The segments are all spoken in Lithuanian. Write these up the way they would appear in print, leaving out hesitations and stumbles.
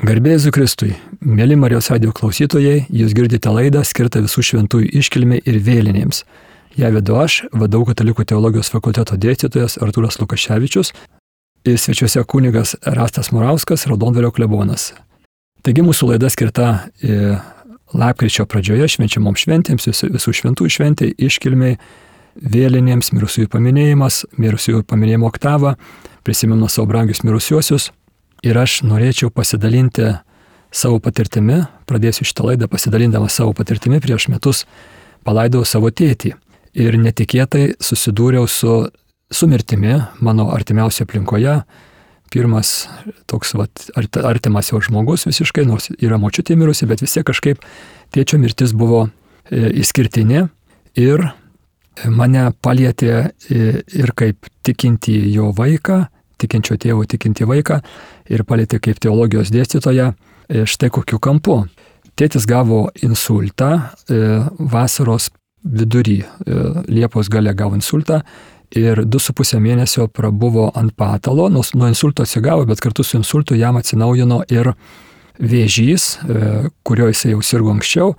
Garbė Jėzui Kristui, mėly Marijos radijo klausytojai, jūs girdite laidą skirtą visų šventųjų iškilmei ir vėlinėms. Ją vedu aš, VDU Katalikų teologijos fakulteto dėstytojas Artūras Lukaševičius ir svečiuose kunigas Rastas Murauskas, Raudondvario klebonas. Taigi mūsų laida skirta lapkričio pradžioje švenčiamom šventėms, visų šventųjų šventai, iškilmei, vėlinėms, mirusiųjų paminėjimas, mirusiųjų paminėjimo oktava, prisimenu savo brangius mirusiuosius. Ir aš norėčiau pasidalinti savo patirtimi, pradėsiu šitą laidą pasidalindamas savo patirtimi, prieš metus palaidojau savo tėtį. Ir netikėtai susidūriau su mirtimi mano artimiausioje aplinkoje. Pirmas toks artimas jau žmogus visiškai, nors yra močiutė mirusi, bet vis tiek kažkaip tėčio mirtis buvo išskirtinė ir mane palietė ir kaip tikinti jo vaiką, tikinčio tėvo tikinti vaiką ir palietė kaip teologijos dėstytoją štai kokiu kampu. Tėtis gavo insultą vasaros vidury, Liepos gale gavo insultą ir 2,5 mėnesio prabuvo ant patalo, nuo insulto atsigavo, bet kartu su insultu jam atsinaujino ir vėžys, kurio jisai jau sirgo anksčiau.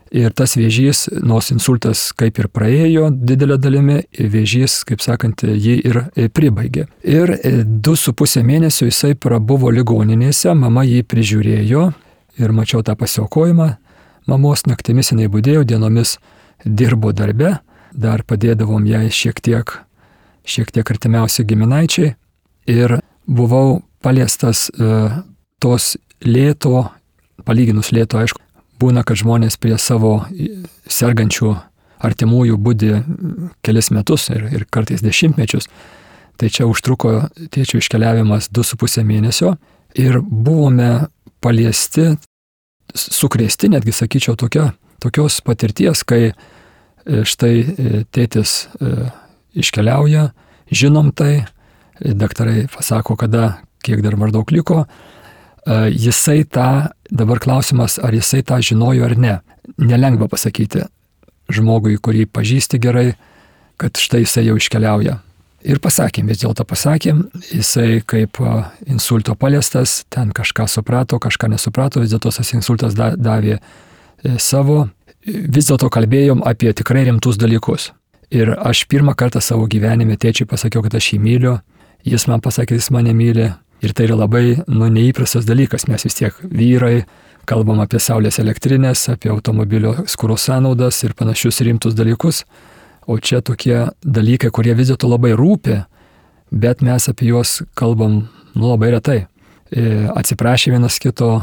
Ir tas vėžys, nors insultas kaip ir praėjo didelę dalimi, vėžys, kaip sakant, jį ir pribaigė. Ir 2,5 mėnesio jisai prabuvo ligoninėse, mama jį prižiūrėjo ir mačiau tą pasiaukojimą. Mamos naktimis jinai budėjo, dienomis dirbo darbe, dar padėdavom jai šiek tiek artimiausi giminaičiai. Ir buvau paliestas tos lėto, palyginus lėto, aišku, būna, kad žmonės prie savo sergančių artimųjų budi kelis metus ir kartais dešimtmečius. Tai čia užtruko tėčio iškeliavimas 2,5 mėnesio ir buvome paliesti, sukrėsti, netgi sakyčiau, tokios patirties, kai štai tėtis iškeliauja, žinom tai, daktarai pasako, kada, kiek dar maždaug liko. Jisai tą, dabar klausimas, ar jisai tą žinojo ar ne. Nelengva pasakyti žmogui, kurį pažįsti gerai, kad štai jisai jau iškeliauja. Ir pasakėm, vis dėlto pasakėm, jisai kaip insulto paliestas, ten kažką suprato, kažką nesuprato, vis dėlto tas insultas davė savo. Vis dėlto kalbėjom apie tikrai rimtus dalykus. Ir aš pirmą kartą savo gyvenime tėčiui pasakiau, kad aš jį myliu, jis man pasakė, jis mane myli. Ir tai yra labai neįprastas dalykas, mes vis tiek vyrai kalbam apie saulės elektrinės, apie automobilio skuro sąnaudas ir panašius rimtus dalykus, o čia tokie dalykai, kurie vis dėlto labai rūpi, bet mes apie juos kalbam labai retai. Atsiprašė vienas kito,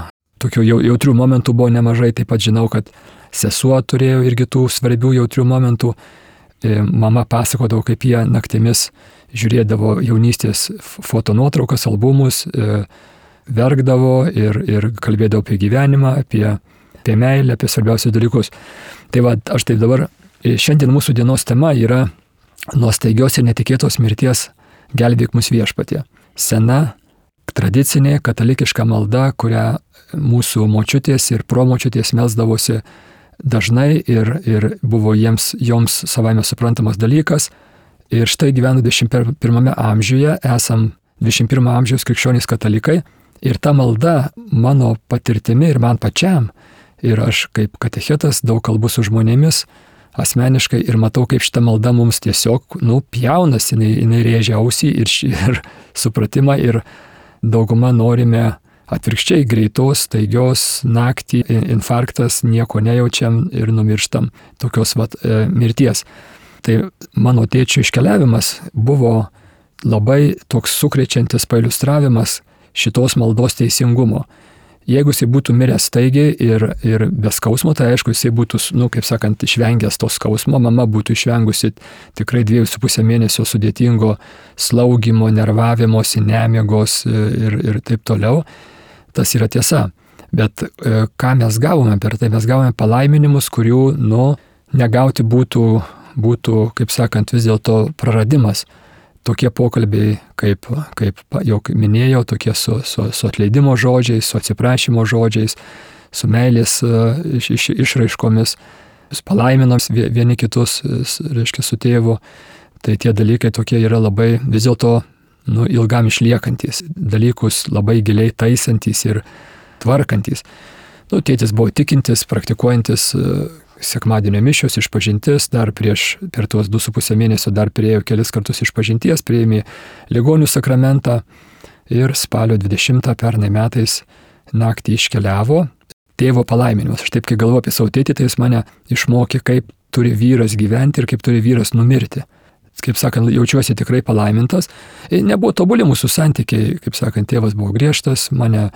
tokių jautrių momentų buvo nemažai, taip pat žinau, kad sesuo turėjo irgi tų svarbių jautrių momentų. Mama pasakodavo, kaip jie naktimis žiūrėdavo jaunystės fotonuotraukas, albumus, verkdavo ir kalbėdavo apie gyvenimą, apie meilę, apie svarbiausius dalykus. Tai va, aš taip dabar, šiandien mūsų dienos tema yra nuo staigios ir netikėtos mirties gelbėk mus viešpatie. Sena, tradicinė, katalikiška malda, kurią mūsų močiutės ir promočiutės melsdavosi dažnai ir buvo joms savaime suprantamas dalykas. Ir štai gyvenu 21 amžiuje, esam 21 amžiaus krikščionys katalikai ir ta malda mano patirtimi ir man pačiam, ir aš kaip katechetas daug kalbu su žmonėmis asmeniškai ir matau, kaip šita malda mums tiesiog, pjaunas, jinai rėžia ausį ir supratimą ir dauguma norime atvirkščiai greitos, staigios, naktį, infarktas, nieko nejaučiam ir numirštam tokios mirties. Tai mano tėčio iškeliavimas buvo labai toks sukrečiantis pailiustravimas šitos maldos teisingumo. Jeigu jisai būtų miręs staigiai ir be skausmo, tai aišku, jisai būtų, kaip sakant, išvengęs to skausmo, mama būtų išvengusi tikrai 2,5 mėnesio sudėtingo slaugimo, nervavimosi, nemiegos ir taip toliau. Tas yra tiesa. Bet ką mes gavome per tai? Mes gavome palaiminimus, kurių, negauti būtų, kaip sakant, vis dėlto praradimas. Tokie pokalbiai, kaip jau minėjau, tokie su atleidimo žodžiais, su atsiprašymo žodžiais, su meilės išraiškomis, palaiminam vieni kitus, reiškia, su tėvu. Tai tie dalykai tokie yra labai vis dėlto ilgam išliekantys, dalykus labai giliai taisantys ir tvarkantis. Nu, tėtis buvo tikintis, praktikuojantis, sekmadienio mišios, išpažintis, dar per tuos 2,5 mėnesio dar priėjo kelis kartus išpažinties, priėmė ligonių sakramentą ir spalio 20 pernai metais naktį iškeliavo. Tėvo palaiminimas. Aš taip, kai galvoju apie savo tėtį, tai jis mane išmokė, kaip turi vyras gyventi ir kaip turi vyras numirti. Kaip sakant, jaučiuosi tikrai palaimintas. Nebuvo tobuli mūsų santykiai, kaip sakant, tėvas buvo griežtas, mane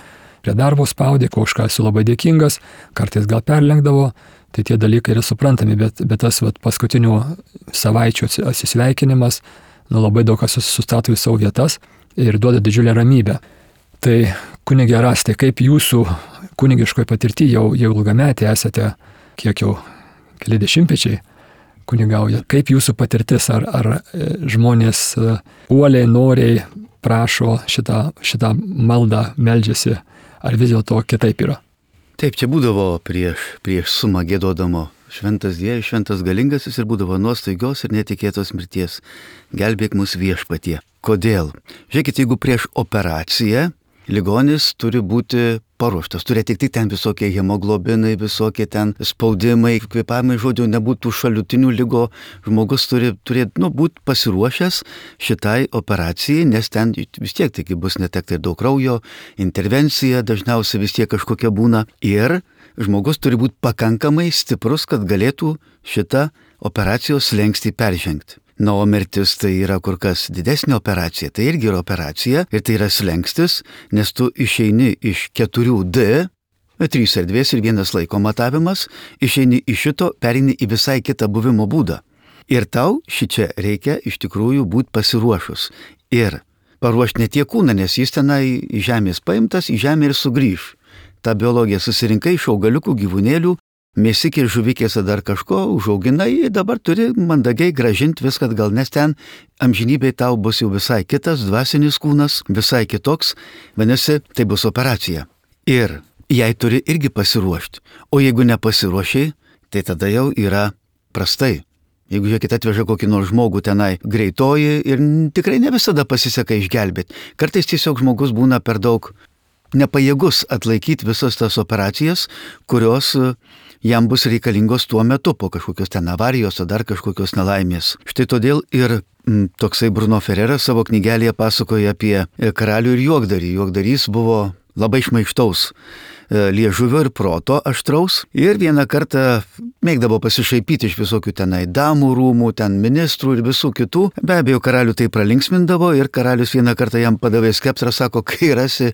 prie darbo spaudė, ko už ką esu labai dėkingas, kartais gal perlenkdavo, tai tie dalykai yra suprantami, bet tas paskutinių savaičių atsisveikinimas, labai daug kas sustato į savo vietas ir duoda didžiulę ramybę. Tai kunigė Erastai, kaip jūsų kunigiškoje patirtyje jau ilgametė esate, kiek jau keli dešimtmečiai kunigauja, kaip jūsų patirtis, ar žmonės uoliai, noriai prašo šitą maldą, meldžiasi, ar vis dėlto kitaip yra? Taip, čia būdavo prieš sumą gėdodamo šventas Dievas, šventas galingasis ir būdavo nuo staigios ir netikėtos mirties. Gelbėk mus viešpatie. Kodėl? Žiūrėkit, jeigu prieš operaciją ligonis turi būti paruoštas, turi atitikti ten visokie hemoglobinai, visokie ten spaudimai, kvėpavimai, žodžiu, nebūtų šalutinių lygo, žmogus turi būti pasiruošęs šitai operacijai, nes ten vis tiek taigi bus netekta ir daug kraujo, intervencija dažniausiai vis tiek kažkokia būna ir žmogus turi būti pakankamai stiprus, kad galėtų šitą operacijos slenkstį peržengti. Na, o mirtis tai yra kur kas didesnė operacija, tai irgi yra operacija ir tai yra slengstis, nes tu išeini iš 4D, 3 erdvės ir 1 laiko matavimas, išeini iš šito, pereini į visai kitą buvimo būdą. Ir tau šičia reikia iš tikrųjų būti pasiruošus. Ir paruošti ne tiek kūną, nes jis tenai iš žemės paimtas, į žemę ir sugrįž. Ta biologija susirinkai iš augaliukų, gyvūnėlių, mėsikės, žuvikės ar dar kažko, užauginai, dabar turi mandagiai gražinti viską atgal, nes ten amžinybėj tau bus jau visai kitas dvasinis kūnas, visai kitoks, vadinasi, tai bus operacija. Ir jai turi irgi pasiruošti. O jeigu nepasiruošiai, tai tada jau yra prastai. Jeigu žiūrėkit atveža kokį nors žmogų tenai greitoji ir tikrai ne visada pasiseka išgelbėti. Kartais tiesiog žmogus būna per daug nepajėgus atlaikyti visas tas operacijas, kurios jam bus reikalingos tuo metu po kažkokios ten avarijos ar dar kažkokios nelaimės. Štai todėl ir toksai Bruno Ferreras savo knygelėje pasakoja apie karalių ir juokdarį. Juokdarys buvo labai šmaikštaus liežuvio ir proto aštraus ir vieną kartą mėgdavo pasišaipyti iš visokių tenai damų rūmų, ten ministrų ir visų kitų. Be abejo, karalių tai pralinksmindavo ir karalius vieną kartą jam padavė skeptrą, sako, kai rasi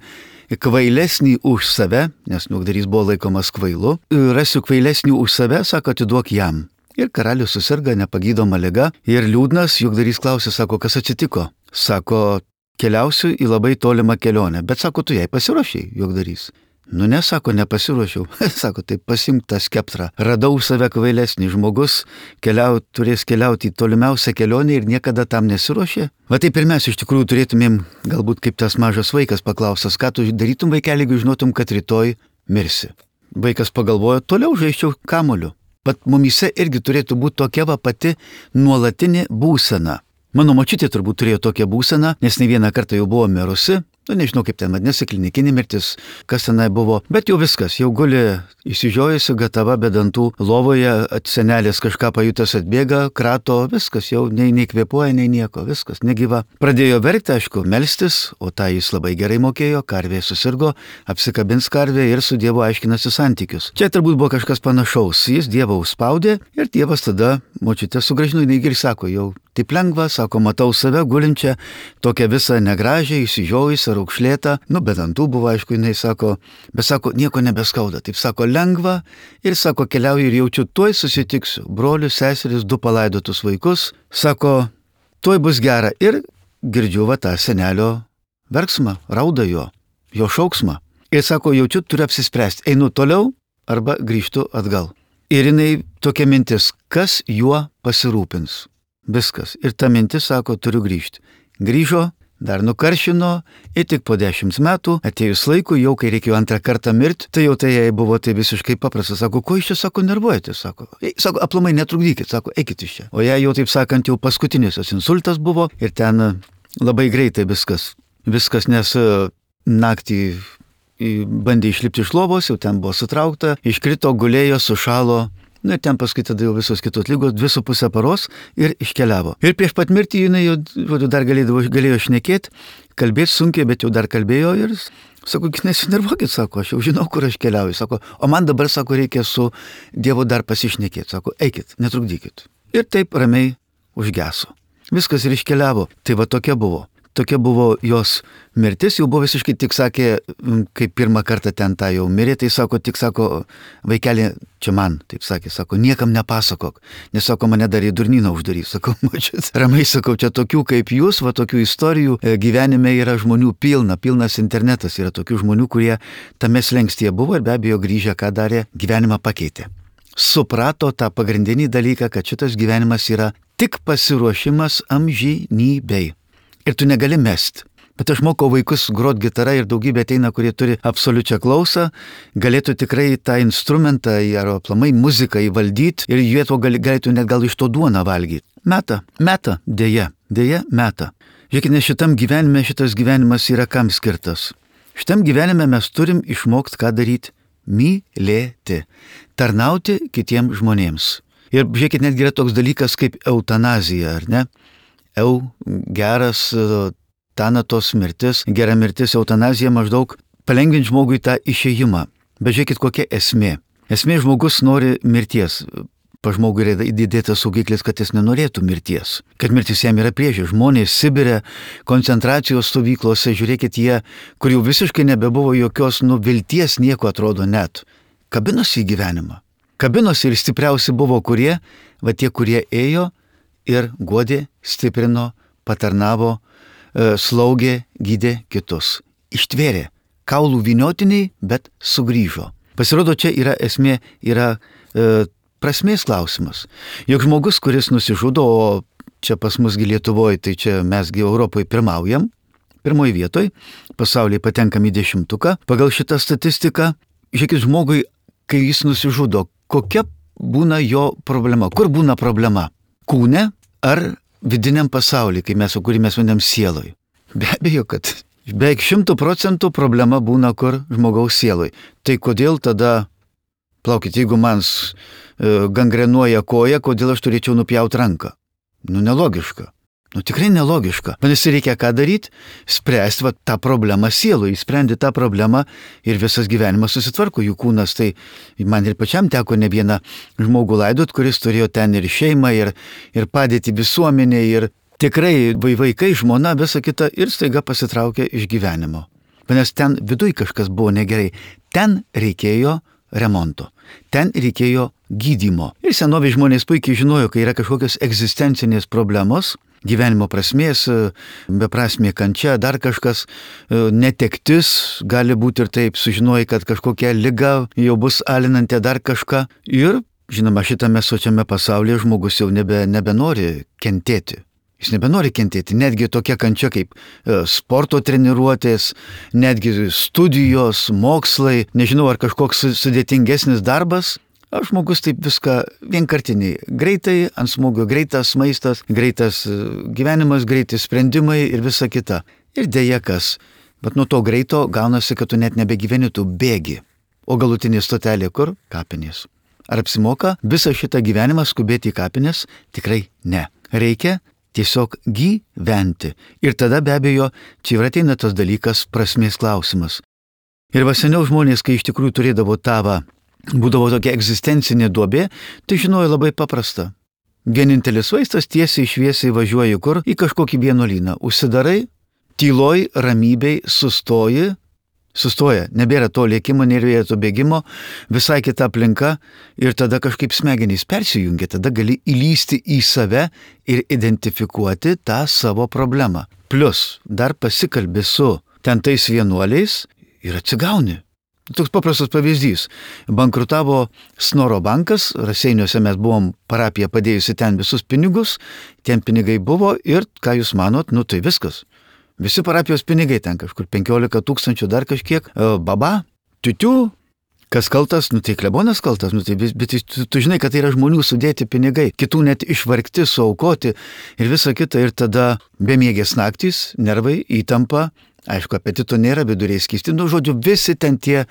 kvailesnį už save, nes juokdarys buvo laikomas kvailu, rasiu kvailesnį už save, sako, atiduok jam. Ir karalius susirga nepagydoma liga ir liūdnas, juokdarys klausė, sako, kas atsitiko? Sako, keliausiu į labai tolimą kelionę, bet sako, tu jai pasiruošiai, juokdarys. Nu ne, sako, nepasiruošiau. Sako, tai pasimk tą skeptrą. Radau save kvailesnį žmogus, turės keliauti į tolimiausią kelionę ir niekada tam nesiruošė. Va taip ir mes iš tikrųjų turėtumėm, galbūt kaip tas mažas vaikas paklausęs, ką tu darytum, vaikeli, jeigu žinotum, kad rytoj mirsi. Vaikas pagalvojo, toliau žaisčiau kamuoliu. Bet mumyse irgi turėtų būti tokia va pati nuolatinė būsena. Mano močiutė turbūt turėjo tokią būseną, nes ne vieną kartą jau buvo mirusi. Nežinau, kaip ten vadinasi, klinikinė mirtis, kas tenai buvo, bet jau viskas, jau guli išsižiojusi, gatava be dantų, lovoje, senelės kažką pajutęs atbėga, krato, viskas, jau nei kvėpuoja, nei nieko, viskas, negyva. Pradėjo verkti, aišku, melstis, o tą jis labai gerai mokėjo, karvė susirgo, apsikabins karvė ir su Dievu aiškinasi santykius. Čia turbūt buvo kažkas panašaus, jis Dievą užspaudė ir Dievas tada močiutę sugrąžino, jinai ir sako, jau taip lengva, sako, matau save gulinčią, tokią visą negražią, išsižiojusią, raukšlėtą, be dantų buvo, aišku, jinai sako, bet sako, nieko nebeskauda, taip sako, lengva ir sako, keliauju ir jaučiu, tuoj susitiksiu, brolius, seseris, 2 palaidotus vaikus, sako, tuoj bus gera ir girdžiu va tą senelio verksmą, raudą jo šauksmą ir sako, jaučiu, turiu apsispręsti, einu toliau arba grįžtu atgal. Ir jinai tokia mintis, kas juo pasirūpins. Viskas. Ir ta mintis sako, turiu grįžti. Grįžo, dar nukaršino ir tik po 10 metų, atėjus laikui, jau kai reikėjo antrą kartą mirti, tai jau tai jai buvo tai visiškai paprasta. Sako, ko iš čia, sako, nervuojate, sako. Sako, aplamai netrukdykit, sako, eikit iš čia. O jai jau taip sakant, jau paskutinis insultas buvo ir ten labai greitai viskas, nes naktį bandė išlipti iš lovos, jau ten buvo sutraukta, iškrito, gulėjo, sušalo. Ir ten paskui tada jau visos kitos lygos 2,5 paros ir iškeliavo. Ir prieš pat mirtį jinai jau dar galėjo šnekėti, kalbėti sunkiai, bet jau dar kalbėjo ir sako, nesinervuokit, sako, aš jau žinau, kur aš keliauju, sako, o man dabar, sako, reikia su Dievu dar pasišnekėti, sako, eikit, netrukdykit. Ir taip ramiai užgeso. Viskas ir iškeliavo. Tai va tokia buvo. Tokia buvo jos mirtis, jau buvo visiškai, tik sakė, kai pirmą kartą ten tą jau mirė, tai sako, tik sako, vaikeli, čia man, taip sakė, sako, niekam nepasakok, nes sako, mane dar į durnyną uždarys, sako, mačiat, ramiai sakau, čia tokių kaip jūs, va tokių istorijų gyvenime yra žmonių pilnas internetas, yra tokių žmonių, kurie tame slengstyje buvo ir be abejo grįžę, ką darė, gyvenimą pakeitė. Suprato tą pagrindinį dalyką, kad šitas gyvenimas yra tik pasiruošimas amžinybei. Ir tu negali mest. Bet aš mokau vaikus grot gitarą ir daugybė ateina, kurie turi absoliučią klausą, galėtų tikrai tą instrumentą ar aplamai muziką įvaldyti ir jie to galėtų net gal iš to duoną valgyti. Meta, dėja, meta. Žiūrėkit, nes šitam gyvenime šitas gyvenimas yra kam skirtas. Šitam gyvenime mes turim išmokti, ką daryti. Mylėti. Tarnauti kitiems žmonėms. Ir žiūrėkit, netgi yra toks dalykas kaip eutanazija, ar ne? Geras tanatos mirtis, gera mirtis, eutanazija maždaug palengvinti žmogui tą išėjimą. Bet žiūrėkit, kokia esmė. Esmė žmogus nori mirties. Pa žmogui yra įdėtas saugiklis, kad jis nenorėtų mirties. Kad mirtis jam yra priešė. Žmonės Sibire, koncentracijos stovyklose, žiūrėkit, jie, kur jau visiškai nebebuvo jokios vilties, nieko atrodo net. Kabinosi į gyvenimą. Kabinosi ir stipriausi buvo kurie, va tie, kurie ėjo ir guodė, stiprino, patarnavo, slaugė, gydė kitus. Ištvėrė. Kaulų vyniotiniai, bet sugrįžo. Pasirodo, čia yra esmė, yra prasmės klausimas. Juk žmogus, kuris nusižudo, o čia pas musgi Lietuvoje, tai čia mesgi Europoje pirmaujam, pirmoje vietoje, pasaulyje patenkam į 10, pagal šitą statistiką, žiūrėkit, žmogui, kai jis nusižudo, kokia būna jo problema, kur būna problema? Kūne ar vidiniam pasaulyje, kurį mes vadinam sieloj. Be abejo, kad beveik 100% problema būna kur žmogaus sieloj. Tai kodėl tada, plaukit, jeigu man gangrenuoja koja, kodėl aš turėčiau nupjauti ranką? Nelogiška. Tikrai nelogiška. Vadinasi, reikia ką daryti? Spręsti tą problemą sielui. Įsprendi tą problemą ir visas gyvenimas susitvarko. Jų kūnas, tai man ir pačiam teko ne vieną žmogų laidot, kuris turėjo ten ir šeimą, ir padėti visuomenė, ir tikrai vaikai, žmona, visa kita, ir staiga pasitraukė iš gyvenimo. Nes ten viduj kažkas buvo negerai. Ten reikėjo remonto. Ten reikėjo gydymo. Ir senovės žmonės puikiai žinojo, kai yra kažkokios egzistencinės problemos, gyvenimo prasmės, beprasmė kančia, dar kažkas, netektis, gali būti ir taip, sužinojai, kad kažkokia liga jau bus alinanti dar kažką. Ir, žinoma, šitame sočiame pasaulyje žmogus jau nebenori kentėti. Jis nebenori kentėti, netgi tokia kančia kaip sporto treniruotės, netgi studijos, mokslai, nežinau, ar kažkoks sudėtingesnis darbas. Žmogus taip viską vienkartiniai, greitai, ant smūgio, greitas maistas, greitas gyvenimas, greiti sprendimai ir visa kita. Ir dėja kas, bet nuo to greito gaunasi, kad tu net nebegyveni, tu bėgi. O galutinė stotelė kur? Kapinės. Ar apsimoka visą šitą gyvenimą skubėti į kapinės? Tikrai ne. Reikia tiesiog gyventi. Ir tada be abejo, čia ir ateina tas dalykas, prasmės klausimas. Ir va seniau žmonės, kai iš tikrųjų turėdavo tavą, būdavo tokia egzistencinė duobė, tai žinojo labai paprasta. Vienintelis vaistas tiesiai šviesiai važiuoji kur? Į kažkokį vienuolyną. Užsidarai, tyloj, ramybei, sustoja, nebėra to lėkimo, nėra to bėgimo, visai kita aplinka ir tada kažkaip smegenys persijungia, tada gali įlysti į save ir identifikuoti tą savo problemą. Plus, dar pasikalbi su ten tais vienuoliais ir atsigauni. Toks paprastas pavyzdys. Bankrutavo Snoro bankas, Raseiniuose mes buvom parapija padėjusi ten visus pinigus, ten pinigai buvo ir, ką jūs manot, tai viskas. Visi parapijos pinigai ten kažkur 15 000 dar kažkiek, baba, tiutių, kas kaltas, tai klebonas kaltas, bet tu žinai, kad tai yra žmonių sudėti pinigai, kitų net išvargti, suaukoti ir visa kita, ir tada bemiegės naktys, nervai, įtampa, Aišku, apetito nėra, viduriai skysti, žodžiu, visi ten tie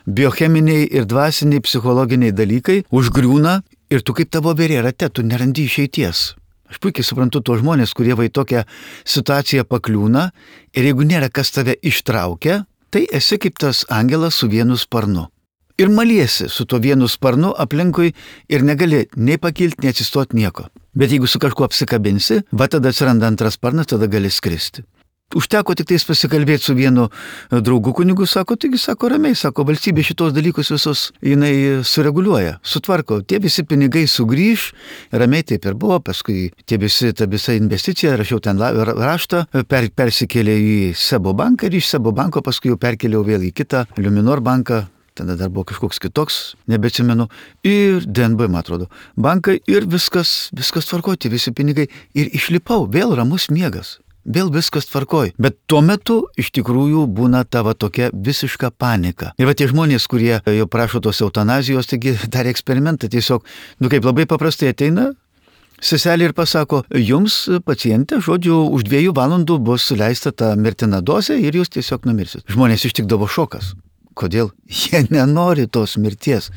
biocheminiai ir dvasiniai, psichologiniai dalykai užgriūna ir tu kaip tavo voverė rate, tu nerandi išeities. Aš puikiai suprantu tuos žmonės, kurie va į tokią situaciją pakliūna ir jeigu nėra kas tave ištraukia, tai esi kaip tas angelas su vienu sparnu. Ir maliesi su tuo vienu sparnu aplinkui ir negali nei pakilti, nei atsistoti nieko. Bet jeigu su kažkuo apsikabinsi, va tada atsiranda antras sparnas, tada gali skristi. Užteko tik tais pasikalbėti su vienu draugu kunigu, sako, taigi, sako, ramiai, sako, valstybė šitos dalykus visus jinai sureguliuoja, sutvarko, tie visi pinigai sugrįž, ramiai taip ir buvo, paskui ta visa investicija, rašiau ten raštą, persikėlė į Sebo banką ir iš Sebo banko paskui jau perkėliau vėl į kitą Luminor banką, tada dar buvo kažkoks kitoks, nebeatsimenu, ir DNB, man atrodo, bankai ir viskas tvarkoti, visi pinigai ir išlipau, vėl ramus miegas. Vėl viskas tvarkoj. Bet tuo metu iš tikrųjų būna tavo tokia visiška panika. Ir va tie žmonės, kurie jau prašo tos eutanazijos, taigi darė eksperimentą tiesiog, kaip labai paprastai ateina seselė ir pasako, jums pacientė, žodžiu, už 2 valandų bus suleista ta mirtina dozė ir jūs tiesiog numirsit. Žmonės ištikdavo šokas. Kodėl? Jie nenori tos mirties.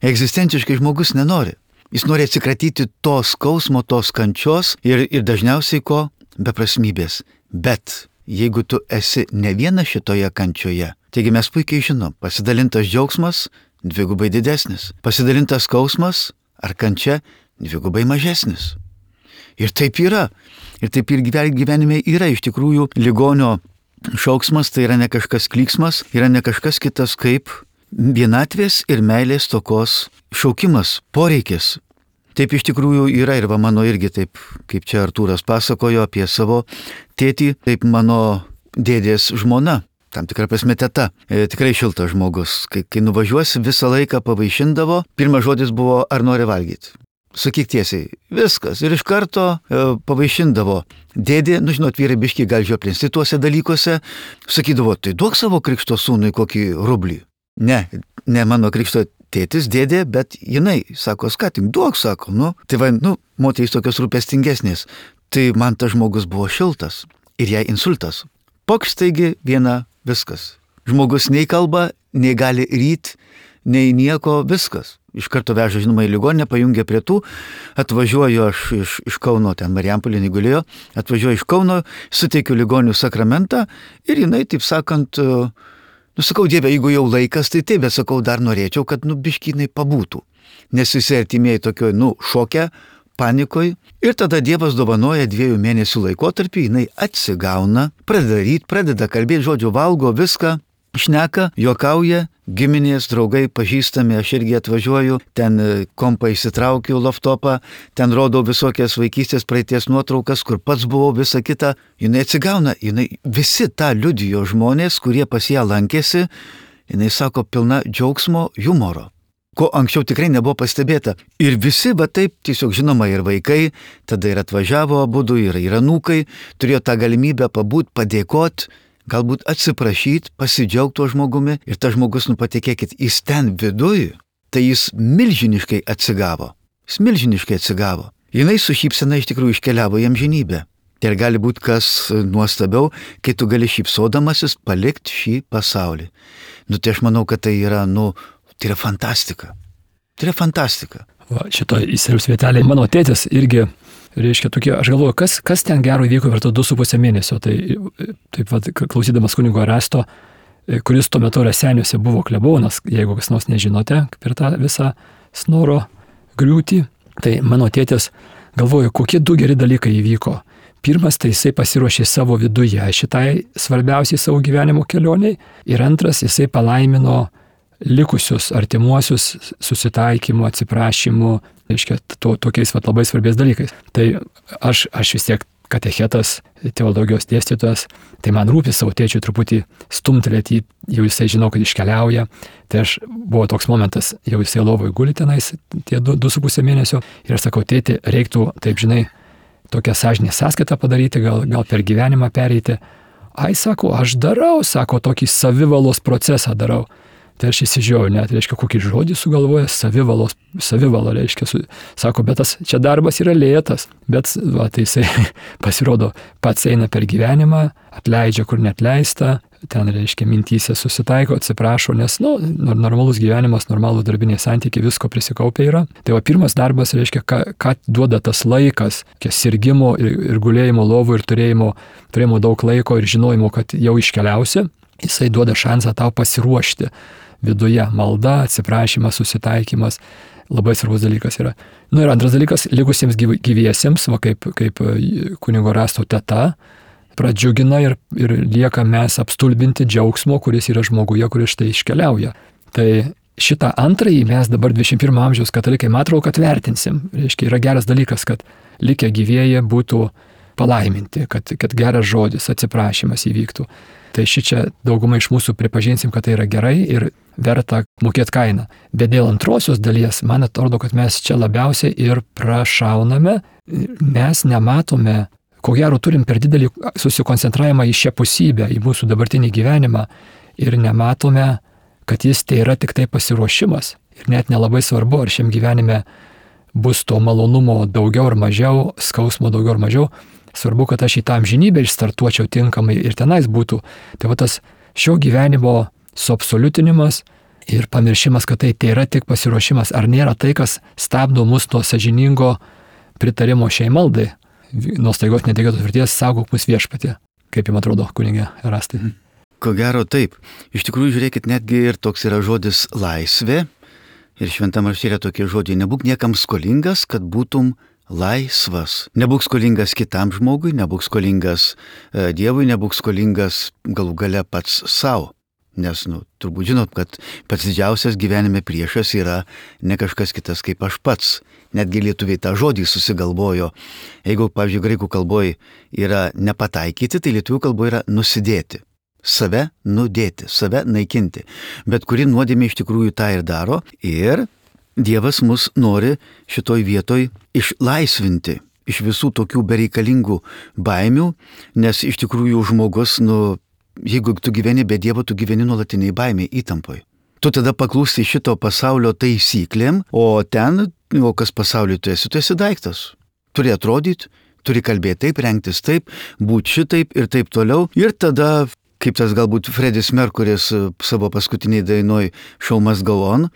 Egzistenciškai žmogus nenori. Jis nori atsikratyti to skausmo, tos kančios ir dažniausiai ko? Beprasmybės. Bet jeigu tu esi ne viena šitoje kančioje, taigi mes puikiai žinom, pasidalintas džiaugsmas 2 didesnis, pasidalintas skausmas ar kančia 2 mažesnis. Ir taip yra. Ir taip ir gyvenime yra iš tikrųjų ligonio šauksmas, tai yra ne kažkas klyksmas, yra ne kažkas kitas kaip vienatvės ir meilės stokos šaukimas, poreikis. Taip iš tikrųjų yra ir va mano irgi taip, kaip čia Artūras pasakojo apie savo tėtį, taip mano dėdės žmona, tam tikrą prasme teta, tikrai šiltas žmogus. Kai nuvažiuosi, visą laiką pavaišindavo, pirmas žodis buvo, ar nori valgyti. Sakyk tiesiai, viskas. Ir iš karto pavaišindavo. Dėdė, žinot, vyrai biškiai gal žioplinsti tuose dalykuose, sakydavo, tai duok savo krikšto sūnui kokį rublį. Ne mano krikšto tėtis, dėdė, bet jinai, sako, skatink, duok, sako, tai va, moterys tokios rūpestingesnės. Tai man tas žmogus buvo šiltas ir jai insultas. Pokš taigi viena, viskas. Žmogus nei kalba, nei gali ryt, nei nieko, viskas. Iš karto veža, žinoma, į ligoninę, pajungia prie tų, atvažiuoju aš iš Kauno, ten Marijampolėje gulėjo, atvažiuoju iš Kauno, suteikiu ligonių sakramentą ir jinai, taip sakant, sakau, Dieve, jeigu jau laikas, tai taip, bet sakau, dar norėčiau, kad, biškinai pabūtų. Nes visi artimieji tokioj, šoke, panikoj. Ir tada Dievas dovanoja 2 mėnesių laikotarpį, jinai atsigauna, pradeda kalbėti, žodžiu, valgo viską, šneka, juokauja, giminės, draugai, pažįstami, aš irgi atvažiuoju, ten kompą įsitraukiu, laptopą, ten rodau visokias vaikystės praeities nuotraukas, kur pats buvau, visa kita. Jinai atsigauna, visi tą liudijo žmonės, kurie pas ją lankėsi, jinai sako, pilna džiaugsmo, humoro, ko anksčiau tikrai nebuvo pastebėta. Ir visi, va taip, tiesiog žinoma, ir vaikai, tada ir atvažiavo abudu, ir anūkai, turėjo tą galimybę pabūt, padėkot, galbūt atsiprašyti, pasidžiaugti tuo žmogumi ir tas žmogus, patikėkit, jis ten viduj, tai jis milžiniškai atsigavo. Jinai su šypsena iš tikrųjų iškeliavo į amžinybę. Tai gali būti kas nuostabiau, kai tu gali šypsodamasis palikti šį pasaulį. Tai aš manau, kad tai yra, tai yra fantastika. Va, šito įsiriaus vietelė. Mano tėtis irgi, reiškia, tokie, aš galvoju, kas ten gero įvyko per 2,5 mėnesio. Tai taip pat, klausydamas kunigo Erasto, kuris tuo metu Raseiniuose buvo klebonas, jeigu kas nors nežinote, per tą visą snoro griūtį, tai mano tėtis galvoju, kokie 2 geri dalykai įvyko. Pirmas, tai jisai pasiruošė savo viduje šitai svarbiausiai savo gyvenimo kelioniai. Ir antras, jisai palaimino likusius artimuosius susitaikymu, atsiprašymu, reiškia, tokiais labai svarbiais dalykais. Tai aš vis tiek katechetas, teologijos dėstytojas, tai man rūpi savo tėčiui truputį stumtelėti, jau jisai žinau, kad iškeliauja. Tai aš buvo toks momentas, jau jisai lovoj guli tenais tie 2,5 mėnesio ir aš sakau, tėti, reiktų, taip žinai, tokią sąžinės sąskaitą padaryti, gal per gyvenimą pereiti. Ai, sako, aš darau, sako, tokį savivalos procesą darau. Tai aš įsižiūrėjau, net, reiškia, kokį žodį sugalvoja, savivala, reiškia, sako, bet tas čia darbas yra lėtas, bet va, tai jisai pasirodo pats eina per gyvenimą, atleidžia, kur netleista, ten, reiškia, mintyse susitaiko, atsiprašo, nes, normalus gyvenimas, normalūs darbiniai santykiai, visko prisikaupia yra. Tai va, pirmas darbas, reiškia, ką duoda tas laikas, sirgimo ir gulėjimo lovų ir turėjimo daug laiko ir žinojimo, kad jau iškeliausi, jisai duoda šansą tau pasiruošti. Viduje malda, atsiprašymas, susitaikymas, labai svarbus dalykas yra. Ir antras dalykas, likusiems gyviesiems, va, kaip kunigo Rasto teta, pradžiugina ir lieka mes apstulbinti džiaugsmo, kuris yra žmoguje, kuris štai iškeliauja. Tai šitą antrąjį mes dabar 21 amžiaus katalikai, matau, kad vertinsim. Reiškia, yra geras dalykas, kad likę gyvieji būtų palaiminti, kad geras žodis, atsiprašymas įvyktų. Tai šičia daugumai iš mūsų pripažinsim, kad tai yra gerai ir verta mokėti kainą. Bet dėl antrosios dalies, man atrodo, kad mes čia labiausiai ir prašauname, mes nematome, ko gero turim per didelį susikoncentravimą į šią pusybę, į mūsų dabartinį gyvenimą ir nematome, kad jis tai yra tik tai pasiruošimas. Ir net nelabai svarbu, ar šiam gyvenime bus to malonumo daugiau ar mažiau, skausmo daugiau ar mažiau. Svarbu, kad aš į tą amžinybę išstartuočiau tinkamai ir tenais būtų. Tai va tas šio gyvenimo suabsoliutinimas ir pamiršimas, kad tai yra tik pasiruošimas. Ar nėra tai, kas stabdo mus nuo sąžiningo pritarimo šiai maldai? Nuo staigos netikėtos mirties saugok mus Viešpatie. Kaip jums atrodo, kunige Erastai? Ko gero taip. Iš tikrųjų, žiūrėkit, netgi ir toks yra žodis laisvė. Ir šventam rašte yra tokie žodžiai, nebūk niekam skolingas, kad būtum laisvas. Nebūk skolingas kitam žmogui, nebūk skolingas Dievui, nebūk skolingas galų gale pats savo. Nes, turbūt žinot, kad pats didžiausias gyvenime priešas yra ne kažkas kitas kaip aš pats. Netgi lietuviai tą žodį susigalvojo. Jeigu, pavyzdžiui, graikų kalboje yra nepataikyti, tai lietuvių kalboje yra nusidėti. Save nudėti, save naikinti. Bet kuri nuodėmė iš tikrųjų tą ir daro. Ir Dievas mus nori šitoj vietoj išlaisvinti iš visų tokių bereikalingų baimių, nes iš tikrųjų žmogus, jeigu tu gyveni be Dievo, tu gyveni nuolatiniai baimiai, įtampoj. Tu tada paklūsti šito pasaulio taisyklėm, o kas pasauliu tu esi daiktas. Turi atrodyti, turi kalbėti taip, rengtis taip, būti šitaip ir taip toliau. Ir tada, kaip tas galbūt Fredis Merkuris savo paskutiniai dainoj Show Must Go On,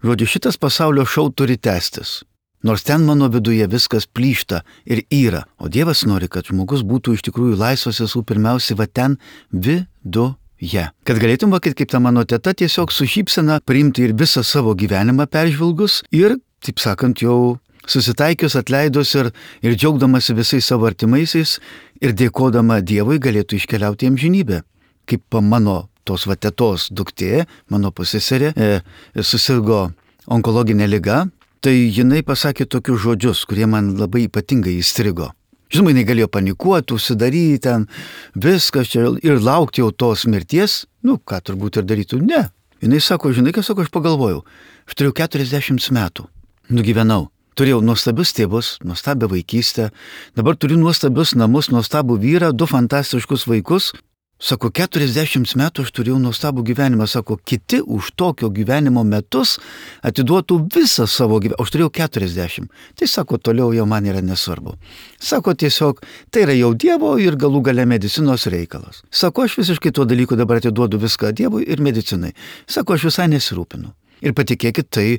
žodžiu, šitas pasaulio šou turi tęstis. Nors ten mano viduje viskas plyšta ir yra. O Dievas nori, kad žmogus būtų iš tikrųjų laisvas visų pirmiausiai va ten viduje. Kad galėtum, kaip ta mano teta, tiesiog su šypsena priimti ir visą savo gyvenimą peržvelgus ir, taip sakant, jau susitaikius, atleidus ir džiaugdamasi visais savo artimaisiais ir dėkodama Dievui galėtų iškeliauti į amžinybę. Kaip mano tos tetos duktė, mano pusseserė, susirgo onkologinė liga, tai jinai pasakė tokius žodžius, kurie man labai ypatingai įstrigo. Žinoma, jinai galėjo panikuoti, užsidaryti ten, viskas čia ir laukti jau tos mirties, ką turbūt ir darytų, ne. Jinai sako, žinai, ką sako, aš pagalvojau, aš turėjau 40 metų, nugyvenau. Turėjau nuostabius tėvus, nuostabią vaikystę, dabar turiu nuostabius namus, nuostabų vyrą, 2 fantastiškus vaikus. Sako, 40 metų aš turėjau nuostabų gyvenimą, sako, kiti už tokio gyvenimo metus atiduotų visą savo gyvenimą, aš turėjau 40. Tai sako, toliau jau man yra nesvarbu. Sako, tiesiog, tai yra jau Dievo ir galų gale medicinos reikalas. Sako, aš visiškai tuo dalyku dabar atiduodu viską Dievui ir medicinai. Sako, aš visai nesirūpinu. Ir patikėkit, tai,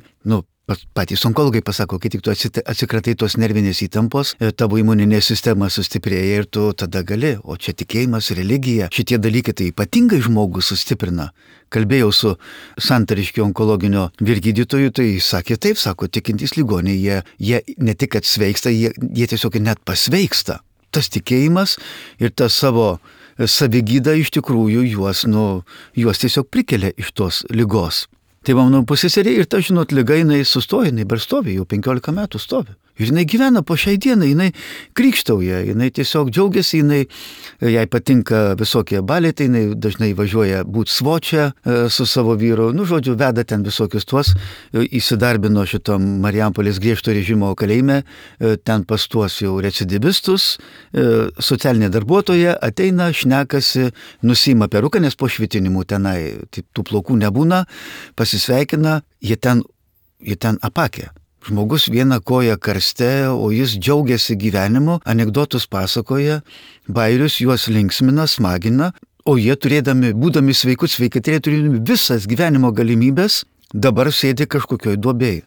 patys onkologai pasako, kai tik tu atsikratai tos nervinės įtampos, tavo imuninė sistema sustiprėja ir tu tada gali. O čia tikėjimas, religija, šitie dalykai tai ypatingai žmogų sustiprina. Kalbėjau su Santariškio onkologinio vyrgydytoju, tai sakė taip, sako, tikintys ligoniai, jie ne tik kad sveiksta, jie tiesiog net pasveiksta. Tas tikėjimas ir tas savo savigyda iš tikrųjų juos tiesiog prikelia iš tos ligos. Tai mano pusseserė ir ta, žinot, liga jinai sustoja, jinai dar stovi, jau 15 metų stovi. Ir jinai gyvena po šiai dienai, jinai krikštauja, jinai tiesiog džiaugiasi, jai patinka visokie baletai, jinai dažnai važiuoja būti svočia su savo vyru, žodžiu, veda ten visokius tuos, įsidarbino šitom Marijampolės griežto režimo kalėjime, ten pas tuos jau recidivistus, socialinė darbuotoja ateina, šnekasi, nusima peruką, nes po švitinimų tenai tų plaukų nebūna, pasisveikina, jie ten apakė. Žmogus viena koja karste, o jis džiaugiasi gyvenimu, anekdotus pasakoja, bairius juos linksmina, smagina, o jie būdami sveikatrė, turėdami visas gyvenimo galimybės, dabar sėdi kažkokioj duobėj.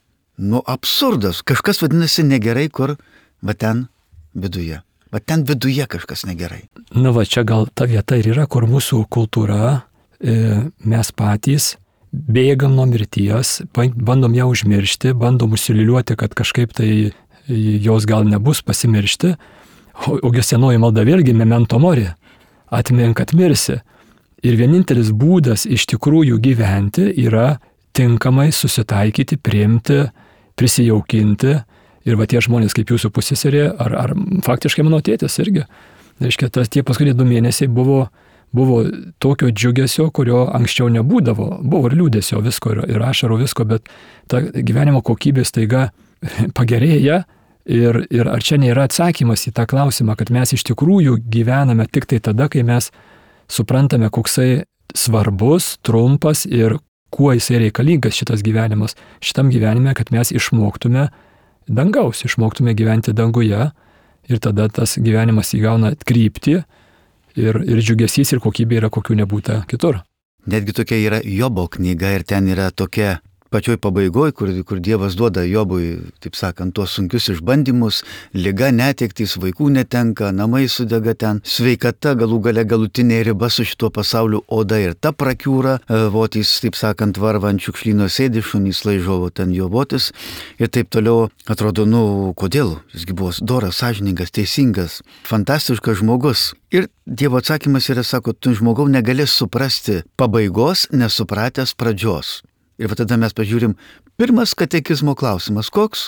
Absurdas, kažkas vadinasi negerai, kur va ten viduje. Va ten viduje kažkas negerai. Čia gal ta vieta ir yra, kur mūsų kultūra, mes patys bėgam nuo mirties, bandom ją užmiršti, bandom užsiliuliuoti, kad kažkaip tai jos gal nebus pasimiršti, ogi senoji malda vėlgi memento mori, atmink, kad mirsi. Ir vienintelis būdas iš tikrųjų gyventi yra tinkamai susitaikyti, priimti, prisijaukinti. Ir va tie žmonės kaip jūsų pusseserė, ar faktiškai mano tėtis irgi. Reiškia, tie paskutiniai 2 mėnesiai buvo tokio džiugesio, kurio anksčiau nebūdavo. Buvo ir liūdesio visko, ir ašarų visko, bet ta gyvenimo kokybė staiga pagerėja. Ir ar čia nėra atsakymas į tą klausimą, kad mes iš tikrųjų gyvename tik tai tada, kai mes suprantame, koksai svarbus, trumpas ir kuo jisai reikalingas šitas gyvenimas. Šitam gyvenime, kad mes išmoktume dangaus, išmoktume gyventi danguje ir tada tas gyvenimas įgauna kryptį. Ir džiugesys ir kokybė yra kokių nebūta kitur. Netgi tokia yra Jobo knyga ir ten yra tokia pačioj pabaigoj, kur Dievas duoda Jobui, taip sakant, tuos sunkius išbandymus, liga, netektys, vaikų netenka, namai sudega ten, sveikata, galų gale galutinė riba su šituo pasauliu, oda ir ta prakiūra, votys, taip sakant, varva ant šiukšlyno sėdi, šunys laižovo ten jo votis ir taip toliau. Atrodo, kodėl? Jisgi buvo doras, sąžiningas, teisingas, fantastiškas žmogus. Ir Dievo atsakymas yra, sako, tu žmogau negali suprasti pabaigos, nesupratęs pradžios. Ir va tada mes pažiūrim, pirmas katekizmo klausimas koks?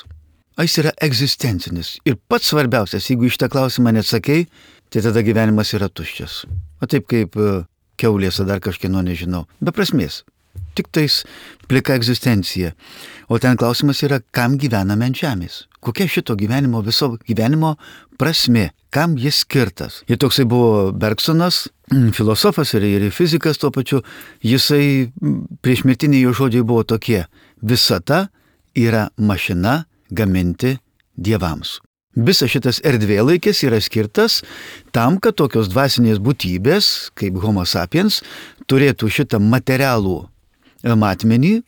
Jis yra egzistencinis. Ir pats svarbiausias, jeigu iš tą klausimą neatsakei, tai tada gyvenimas yra tuščias. O taip kaip kiaulės ar dar kažkieno nežinau. Be prasmės. Tik tais plika egzistencija. O ten klausimas yra, kam gyvename ant žemės? Kokia šito gyvenimo, viso gyvenimo prasmė? Kam jis skirtas? Ir toksai buvo Bergsonas, filosofas ir fizikas tuo pačiu. Jisai priešmirtiniai jo žodžiai buvo tokie. Visata yra mašina gaminti dievams. Visas šitas erdvėlaikis yra skirtas tam, kad tokios dvasinės būtybės, kaip Homo sapiens, turėtų šitą materialų matmenį,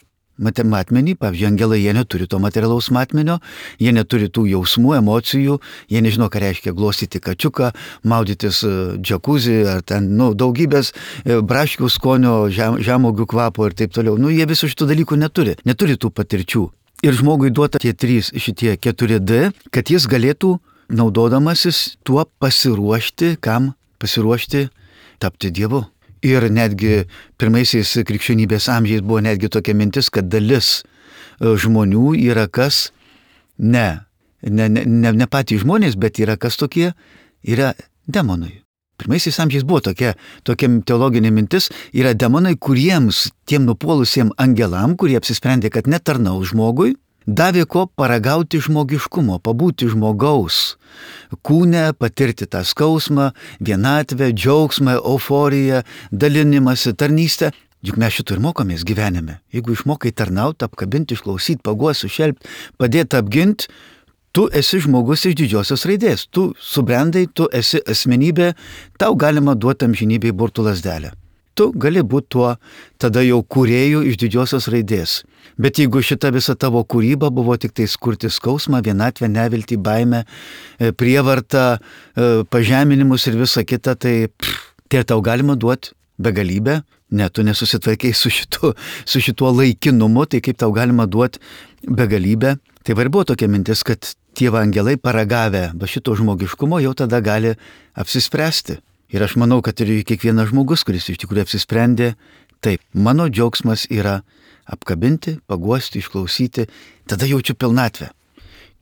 pavyzdžiui, angelai, jie neturi to materialaus matmenio, jie neturi tų jausmų, emocijų, jie nežino, ką reiškia glostyti kačiuką, maudytis džakuzį, ar ten, daugybės braškių skonio, žemuogių kvapo ir taip toliau. Jie visų šitų dalykų neturi tų patirčių. Ir žmogui duota šitie 4D, kad jis galėtų, naudodamasis tuo pasiruošti, kam pasiruošti tapti Dievu. Ir netgi pirmaisiais krikščionybės amžiais buvo netgi tokia mintis, kad dalis žmonių yra kas, ne patys žmonės, bet yra kas tokie, yra demonai. Pirmaisiais amžiais buvo tokia teologinė mintis, yra demonai, kuriems tiem nupuolusiem angelam, kurie apsisprendė, kad netarnaus žmogui, davė ko paragauti žmogiškumo, pabūti žmogaus kūne, patirti tą skausmą, vienatvę, džiaugsmą, euforiją, dalinimąsi, tarnystę. Juk mes šito ir mokomės gyvenime. Jeigu išmokai tarnauti, apkabinti, išklausyti, paguoti, sušelpti, padėti apginti, tu esi žmogus iš didžiosios raidės. Tu subrendai, tu esi asmenybė, tau galima duoti amžinybei burtų lazdelę. Tu gali būti tuo tada jau kūrėjų iš didžiosios raidės. Bet jeigu šita visa tavo kūryba buvo tik tai skurti skausmą, vienatvę, neviltį, baimę, prievartą, pažeminimus ir visa kita, tai tau galima duoti begalybę. Ne, tu nesusitvarkiai su šituo laikinumu, tai kaip tau galima duoti begalybę. Tai var buvo tokia mintis, kad tie angelai paragavę šito žmogiškumo jau tada gali apsispręsti. Ir aš manau, kad ir kiekvienas žmogus, kuris iš tikrųjų apsisprendė, taip, mano džiaugsmas yra apkabinti, paguosti, išklausyti, tada jaučiu pilnatvę.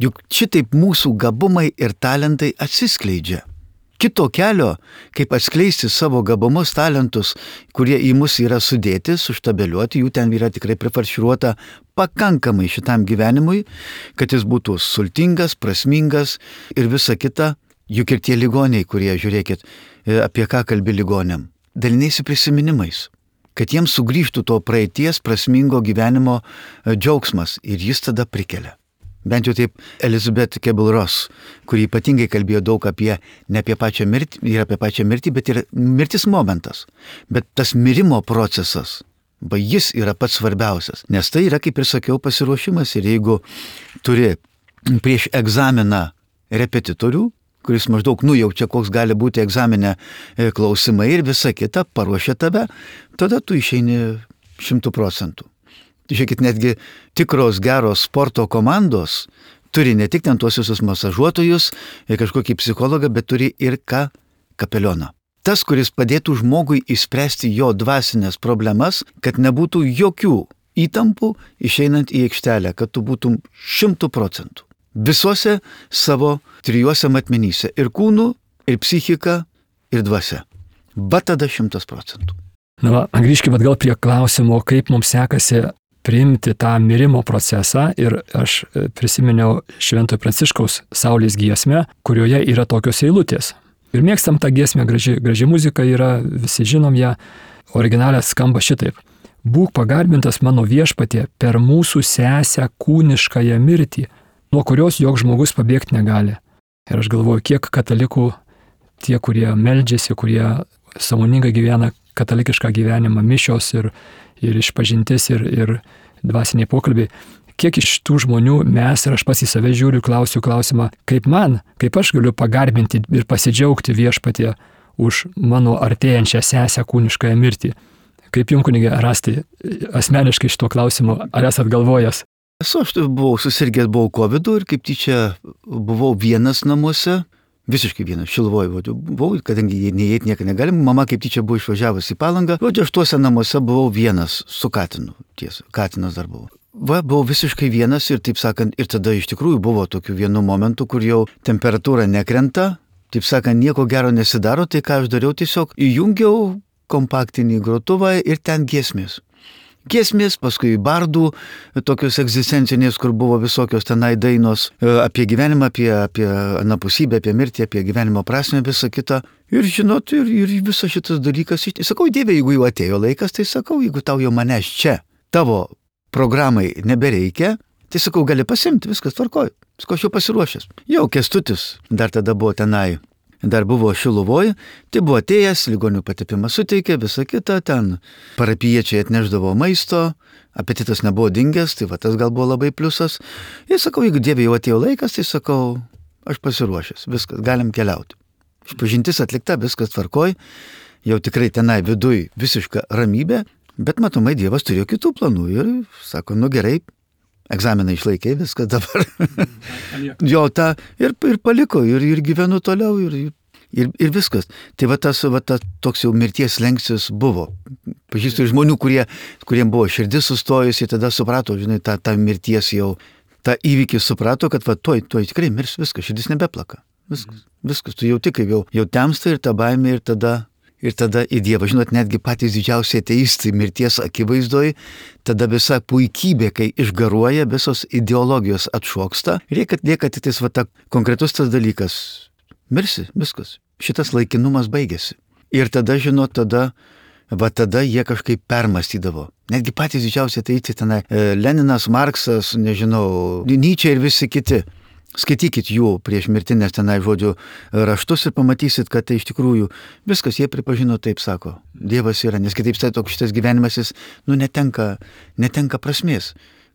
Juk šitaip mūsų gabumai ir talentai atsiskleidžia. Kito kelio, kaip atskleisti savo gabumus, talentus, kurie į mus yra sudėti, suštabeliuoti, jų ten yra tikrai prifarširuota pakankamai šitam gyvenimui, kad jis būtų sultingas, prasmingas ir visa kita. Juk ir tie ligoniai, kurie, žiūrėkit, apie ką kalbi ligoniam, dalinaisi prisiminimais, kad jiems sugrįžtų to praeities prasmingo gyvenimo džiaugsmas ir jis tada prikelia. Bent jau taip Elizabeth Kubler-Ross, kuri ypatingai kalbėjo daug ne apie pačią mirtį, ir apie pačią mirtį, bet ir mirtis momentas. Bet tas mirimo procesas, jis yra pats svarbiausias, nes tai yra, kaip ir sakiau, pasiruošimas. Ir jeigu turi prieš egzaminą repetitorių, kuris maždaug nujaučia, koks gali būti egzamine klausimai ir visa kita, paruošia tave, tada tu išeini 100%. Žiūrėkit, netgi tikros geros sporto komandos turi ne tik ten tuos visus masažuotojus ir kažkokį psichologą, bet turi ir kapelioną. Tas, kuris padėtų žmogui išspręsti jo dvasinės problemas, kad nebūtų jokių įtampų išeinant į aikštelę, kad tu būtum 100%. Visuose savo trijuose matmenyse - ir kūnu, ir psichika, ir dvasia. Va tada 100%. Na, grįžkime atgal prie klausimo, kaip mums sekasi priimti tą mirimo procesą, ir aš prisiminiau Šventojo Pranciškaus Saulės giesmę, kurioje yra tokios eilutės. Ir mėgstam tą giesmę, graži muzika yra, visi žinom ją, originalė skamba šitaip. Būk pagarbintas mano viešpatie per mūsų sesę kūniškąją mirtį, nuo kurios joks žmogus pabėgti negali. Ir aš galvoju, kiek katalikų, tie, kurie meldžiasi, kurie sąmoningai gyvena katalikišką gyvenimą, mišios ir išpažintis ir dvasiniai pokalbiai, kiek iš tų žmonių mes, ir aš pats į save žiūriu, klausiu klausimą, kaip aš galiu pagarbinti ir pasidžiaugti viešpatie už mano artėjančią sesę kūniškąją mirtį. Kaip jums, kunige, rasti asmeniškai šito klausimo, ar esat galvojęs? Aš buvau susirgęs, buvau COVID ir kaip tyčia buvau vienas namuose, visiškai vienas, Šiluvoj buvau, kadangi neįeit nieką negalim, mama kaip tyčia buvo išvažiavusi į Palangą, aš tuose namuose buvau vienas su katinu, tiesa, katinas dar buvo. Buvau visiškai vienas ir, taip sakant, ir tada iš tikrųjų buvo tokių vienų momentų, kur jau temperatūra nekrenta, taip sakant, nieko gero nesidaro, tai ką aš dariau, tiesiog įjungiau kompaktinį grotuvą ir ten giesmės. Giesmės, paskui bardų, tokios egzistencinės, kur buvo visokios tenai dainos apie gyvenimą, apie anapusybę, apie mirtį, apie gyvenimo prasmę, visą kitą. Ir žinot, ir visas šitas dalykas, sakau, Dieve, jeigu jau atėjo laikas, tai sakau, jeigu tau jau manęs čia, tavo programai nebereikia, tai sakau, gali pasimti, viskas tvarkoj, sakau, aš jau pasiruošęs. Jau Kęstutis dar tada buvo tenai. Dar buvo Šiluvoj, tai buvo atėjęs, ligonių patepimą suteikė, visą kitą, ten parapijiečiai atneždavo maisto, apetitas nebuvo dingęs, tai va tas gal buvo labai pliusas. Ir sakau, jeigu Dieve jau atėjo laikas, tai sakau, aš pasiruošęs, viskas, galim keliauti. Išpažintis atlikta, viskas tvarkoj, jau tikrai tenai viduj visiška ramybė, bet matomai Dievas turėjo kitų planų ir sako, nu gerai, egzaminą išlaikė, viskas dabar. Jo, tą ir paliko, ir gyvenu toliau, ir viskas. Tai va tas toks jau mirties slenkstis buvo. Pažįstu žmonių, kuriem buvo širdis sustojusi, tada suprato, žinai, tą mirties jau, tą įvykį suprato, kad va tuoj tikrai mirs, viskas, širdis nebeplaka. Viskas, tu jauti, kaip jau temsta ir ta baimė, ir tada į Dievą. Žinot, netgi patys didžiausiai ateistai mirties akivaizdoj, tada visa puikybė, kai išgaruoja, visos ideologijos atšoksta, lieka tik tais konkretus tas dalykas. Mirsi, viskas. Šitas laikinumas baigėsi. Ir tada, žinot, tada jie kažkaip permastydavo. Netgi patys didžiausiai ateistai tenai, Leninas, Marksas, nežinau, Nyčė ir visi kiti. Skaitykit jų prieš mirtinės tenai žodžių raštus ir pamatysit, kad tai iš tikrųjų viskas jie pripažino, taip sako. Dievas yra, nes kitaip toks šitas gyvenimas jis, netenka prasmės.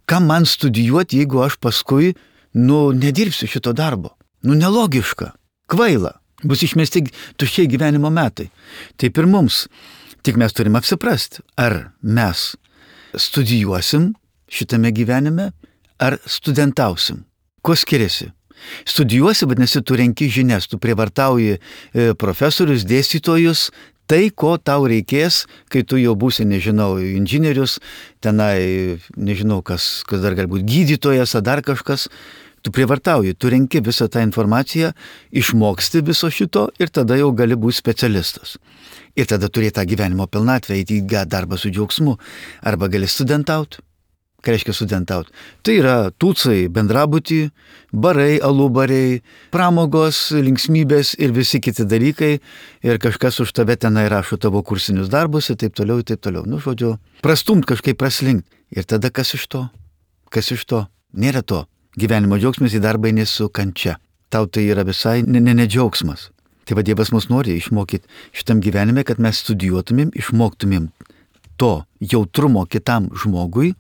Kam man studijuoti, jeigu aš paskui, nedirbsiu šito darbo? Nelogiška, kvaila, bus išmesti tuščiai gyvenimo metai. Taip ir mums. Tik mes turim apsiprasti, ar mes studijuosim šitame gyvenime, ar studentausim. Kuo skiriasi? Studijuosi, vadinasi, tu renki žinias, tu prievartauji profesorius, dėstytojus, tai, ko tau reikės, kai tu jau būsi, nežinau, inžinierius, tenai, nežinau, kas dar gali būti, gydytojas ar dar kažkas, Tu prievartauji, tu renki visą tą informaciją, išmoksti viso šito ir tada jau gali būti specialistas. Ir tada turėti tą gyvenimo pilnatvę, eiti į darbą su džiaugsmu. Arba gali studentauti. Ką reiškia studentauti? Tai yra tūcai, bendrabutį, barai, alubariai, pramogos, linksmybės ir visi kiti dalykai. Ir kažkas už tave tenai rašo tavo kursinius darbus ir taip toliau, ir taip toliau. Nu, žodžiu, prastumt kažkaip praslinkt. Ir tada kas iš to? Kas iš to? Nėra to. Gyvenimo džiaugsmas į darbą eini su kančia. Tau tai yra visai ne džiaugsmas. Tai va Dievas mus nori išmokyti šitam gyvenime, kad mes studijuotumėm, išmoktumėm to jautrumo kitam žmogui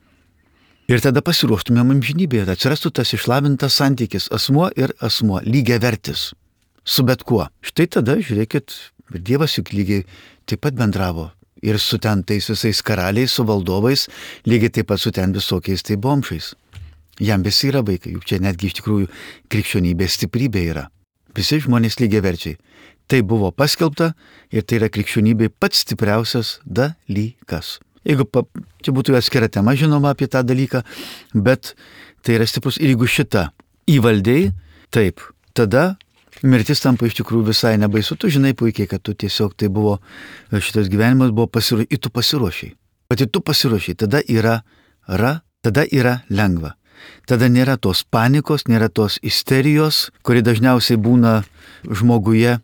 ir tada pasiruoštumėm amžinybėje. Atsirastų tas išlavintas santykis asmuo ir asmuo, lygiavertis su bet kuo. Štai tada, žiūrėkit, ir Dievas juk lygiai taip pat bendravo. Ir su ten tais visais karaliais, su valdovais, lygiai taip pat su ten visokiais tai bomšais. Jam visi yra vaikai, juk čia netgi iš tikrųjų krikščionybės stiprybė yra. Visi žmonės lygiaverčiai. Tai buvo paskelbta ir tai yra krikščionybė pats stipriausias dalykas. Jeigu čia būtų atskira tema, žinoma, apie tą dalyką, bet tai yra stiprus. Ir jeigu šitą įvaldėjai, taip, tada mirtis tampa iš tikrųjų visai nebaisu. Tu žinai puikiai, kad tu tiesiog tai buvo, šitas gyvenimas buvo pasiruošęs, ir tu pasiruošiai. Pati tu pasiruošiai, tada yra lengva. Tada nėra tos panikos, nėra tos isterijos, kuri dažniausiai būna žmoguje,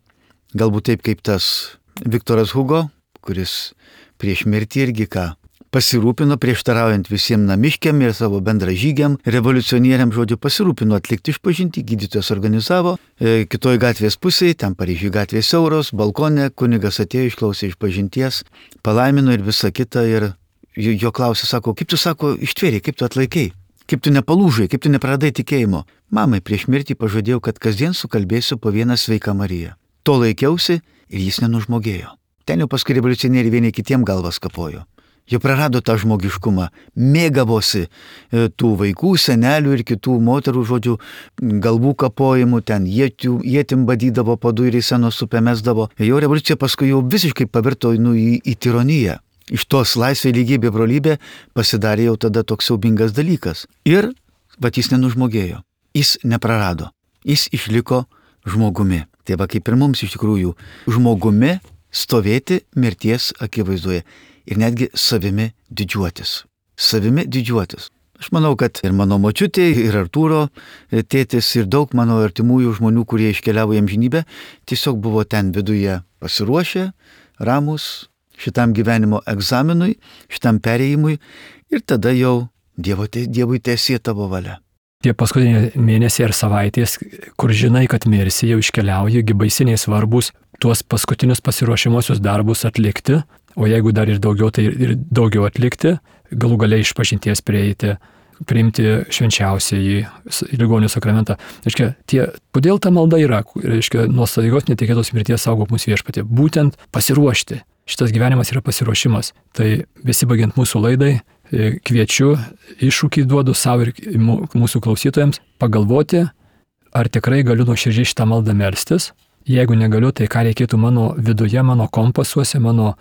galbūt taip kaip tas Viktoras Hugo, kuris prieš mirtį irgi pasirūpino, prieštaraujant visiems namiškiam ir savo bendražygiam, revoliucionieriam, žodžiu, pasirūpino atlikti išpažintį, gydytojas organizavo, kitoj gatvės pusėje, ten Paryžiuje gatvės siauros, balkone, kunigas atėjo, išklausė išpažinties, palaimino ir visa kita ir jo klausė, sako, kaip tu, sako, ištvėrė, kaip tu atlaikai? Kaip tu nepalūžai, kaip tu nepraradai tikėjimo. Mamai prieš mirtį pažadėjau, kad kasdien sukalbėsiu po vieną sveiką Mariją. To laikiausi ir jis nenužmogėjo. Ten jau paskui revoliucionieriai vieni kitiem galvas kapojo. Jie prarado tą žmogiškumą, mėgavosi tų vaikų, senelių ir kitų moterų, žodžių, galvų kapojimų, ten ietim badydavo, po durį senos upę mesdavo. Jo revoliucija paskui jau visiškai pavirto į tironiją. Iš tos laisvė, lygybė, brolybė pasidarė jau tada toks siaubingas dalykas. Ir, bet jis nenužmogėjo, jis neprarado, jis išliko žmogumi. Tai va kaip ir mums iš tikrųjų žmogumi stovėti mirties akivaizdoje ir netgi savimi didžiuotis. Savimi didžiuotis. Aš manau, kad ir mano močiutė, ir Artūro tėtis, ir daug mano artimųjų žmonių, kurie iškeliavo į amžinybę, tiesiog buvo ten viduje pasiruošę, ramus, šitam gyvenimo egzaminui, šitam perėjimui ir tada jau Dievui teesie tavo valia. Tie paskutiniai mėnesiai ir savaitės, kur žinai, kad mirsi, jau iškeliauji, baisiniai svarbus tuos paskutinius pasiruošimuosius darbus atlikti, o jeigu dar ir daugiau, tai ir daugiau atlikti, galų galiai išpažinties prieiti, priimti švenčiausiąjį ligonių sakramentą. Reiškia, kodėl ta malda yra? Reiškia, nuo staigios netikėtos mirties saugok mus Viešpatie. Būtent pasiruošti. Šitas gyvenimas yra pasiruošimas. Tai besibaigiant mūsų laidai, kviečiu, iššūkį duodu savo ir mūsų klausytojams pagalvoti, ar tikrai galiu nuoširdžiai šitą maldą melstis. Jeigu negaliu, tai ką reikėtų mano viduje, mano kompasuose, mano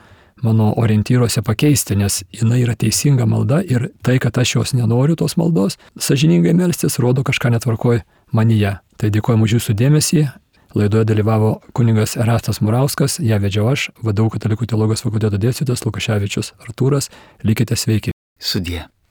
orientyruose pakeisti, nes jinai yra teisinga malda ir tai, kad aš jos nenoriu tos maldos, sąžiningai melstis, rodo kažką netvarkoj manyje. Tai dėkojame už jūsų dėmesį. Laidoje dalyvavo kunigas Erastas Murauskas, ją vedžiau aš, VDU Katalikų teologijos fakulteto dėstytojas Lukaševičius Artūras. Likite sveiki. Sudie.